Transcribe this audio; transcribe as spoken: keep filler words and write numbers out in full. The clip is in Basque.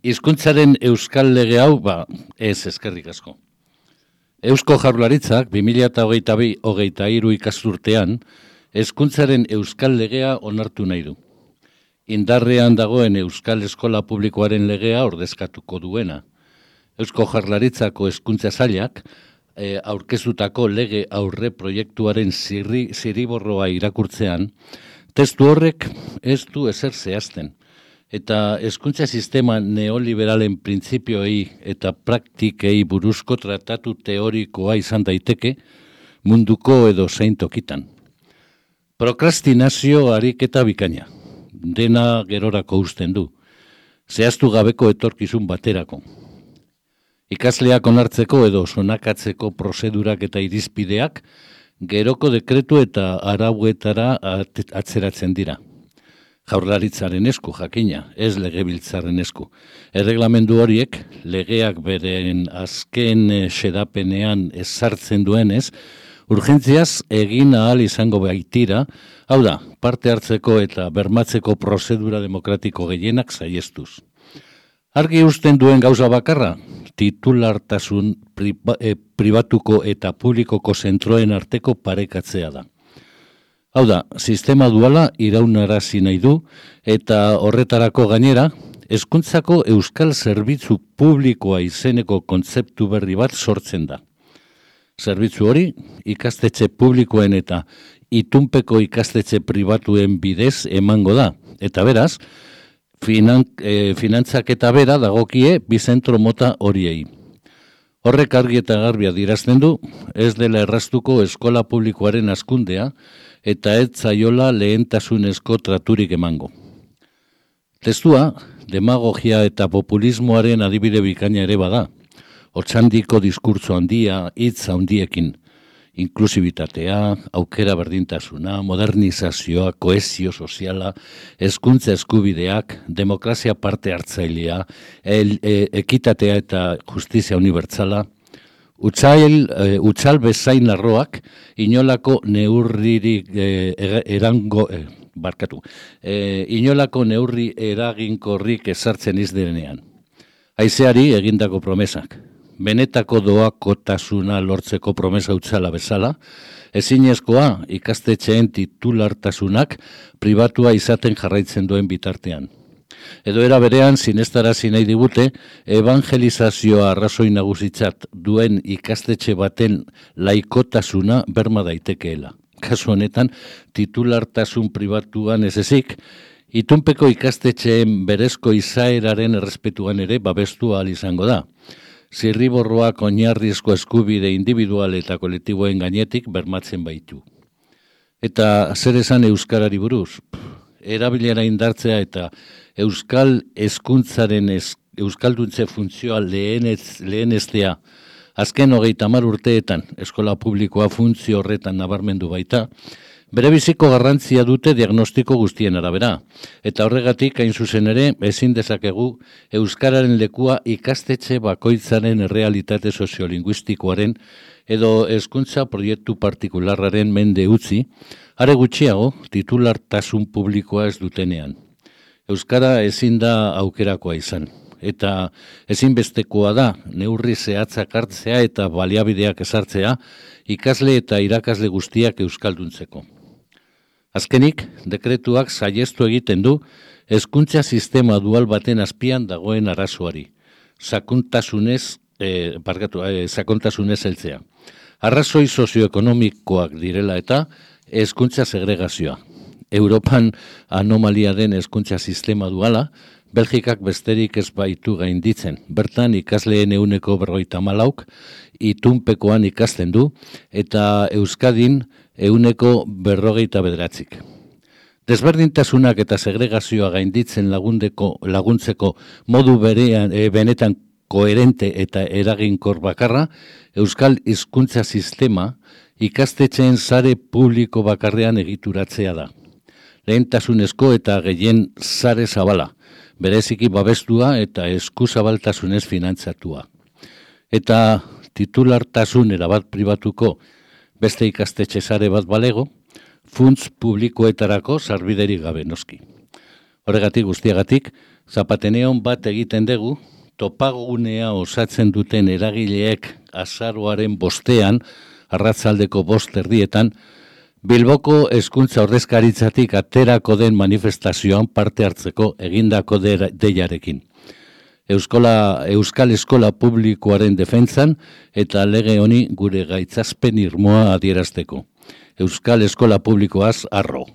Hizkuntzaren euskal lege hau, ba, ez eskerrik asko. Eusko Jaurlaritzak bi mila hogeita bi hogeita hiru ikasturtean hezkuntzaren euskal legea onartu nahi du. Indarrean dagoen euskal eskola publikoaren legea ordezkatuko duena. Eusko Jaurlaritzako hezkuntza sailak e, aurkeztutako lege aurre proiektuaren zirri, ziriborroa irakurtzean, testu horrek ez du ezer zehazten. Eta hezkuntza sistema neoliberalen printzipioei eta praktikei buruzko tratatu teorikoa izan daiteke munduko edo zein tokitan. Prokrastinazio ariketa bikaina, dena gerorako uzten du, zehaztu gabeko etorkizun baterako. Ikasleak onartzeko edo sonakatzeko prozedurak eta irizpideak geroko dekretu eta arauetara atzeratzen dira. Jaurlaritzaren esku jakina, ez legebiltzarren esku. Erreglamendu horiek, legeak beren azken xedapenean ezartzen duenez, urgentziaz egin ahal izango baitira, hau da, parte hartzeko eta bermatzeko prozedura demokratiko gehienak saiestuz. Argi uzten duen gauza bakarra, titulartasun pribatuko eta publikoko zentroen arteko parekatzea da. Hau da, sistema duala iraunarazi nahi du eta horretarako gainera, hezkuntzako euskal zerbitzu publikoa izeneko kontzeptu berri bat sortzen da. Zerbitzu hori, ikastetxe publikoen eta itunpeko ikastetxe pribatuen bidez emango da. Eta beraz, finan, e, finantzak eta bera dagokie bi zentro mota horiei. Horrek argi eta garbi adierazten du, ez dela erraztuko eskola publikoaren hazkundea, eta ez zaiola lehentasunezko traturik emango. Testua, demagogia eta populismoaren adibide bikaina ere bada. Otsandiko diskurtso handia, hitz handiekin. Inklusibitatea, aukera berdintasuna, modernizazioa, kohesio soziala, hezkuntza eskubideak, demokrazia parte hartzailea, el, e, ekitatea eta justizia unibertsala, Utsail, e, utsal bezain larroak, inolako neurririk e, erango, e, barkatu, e, inolako neurri eraginkorrik ezartzen izdenean. Haizeari egindako promesak, benetako doakotasuna lortzeko promesa utzala bezala, ezinezkoa ikastetxeen titulartasunak pribatua izaten jarraitzen duen bitartean. Edo era berean sinestarazi nahi digute evangelizazioa arrazoi nagusitzat duen ikastetxe baten laikotasuna berma daitekeela. Kasu honetan, titulartasun pribatuan ez ezik, itunpeko ikastetxeen berezko izaeraren errespetuan ere babestu ahal izango da. Zirriborroak oinarrizko eskubide individual eta kolektiboen gainetik bermatzen baitu. Eta zer esan euskarari buruz? Erabilera indartzea eta euskal hezkuntzaren ez, euskalduntze funtzioa lehenez, leheneztea azken hogeita hamar urteetan eskola publikoa funtzio horretan nabarmendu baita, bere biziko garrantzia dute diagnostiko guztien arabera, eta horregatik hain zuzen ere ezin dezakegu euskararen lekua ikastetxe bakoitzaren errealitate soziolinguistikoaren edo hezkuntza proiektu partikularraren mende utzi, are gutxiago titulartasun publikoa ez dutenean. Euskara ezin da aukerakoa izan, eta ezinbestekoa da neurri zehatzak hartzea eta baliabideak ezartzea ikasle eta irakasle guztiak euskalduntzeko. Azkenik, dekretuak saihestu egiten du hezkuntza sistema dual baten azpian dagoen arazoari, sakontasunez, eh, barkatu, eh, sakontasunez heltzea. Arrazoi sozioekonomikoak direla eta hezkuntza segregazioa. Europan anomalia den hezkuntza sistema duala, Belgikak besterik ez baitu gainditzen. Bertan ikasleen ehuneko berrogeita hamalauk itunpekoan ikasten du eta Euskadin ehuneko berrogeita bederatzik. Desberdintasunak eta segregazioa gainditzen lagundeko, laguntzeko modu berean, e, benetan koherente eta eraginkor bakarra, Euskal hizkuntza sistema ikastetxeen sare publiko bakarrean egituratzea da. Lehentasunezko eta gehien sare zabala, bereziki babestua eta eskuzabaltasunez finantzatua. Eta titulartasun erabat pribatuko beste ikastetxe sare bat balego, funts publikoetarako sarbiderik gabe noski. Horregatik guztiagatik, Zapateneon bat egiten dugu, topagunea osatzen duten eragileek azaroaren bostean, arratzaldeko bost erdietan, Bilboko hezkuntza ordezkaritzatik aterako den manifestazioan parte hartzeko egindako deiarekin. Euskola, Euskal Eskola Publikoaren defentsan eta lege honi gure gaitzazpen irmoa adierazteko. Euskal Eskola Publikoaz arro.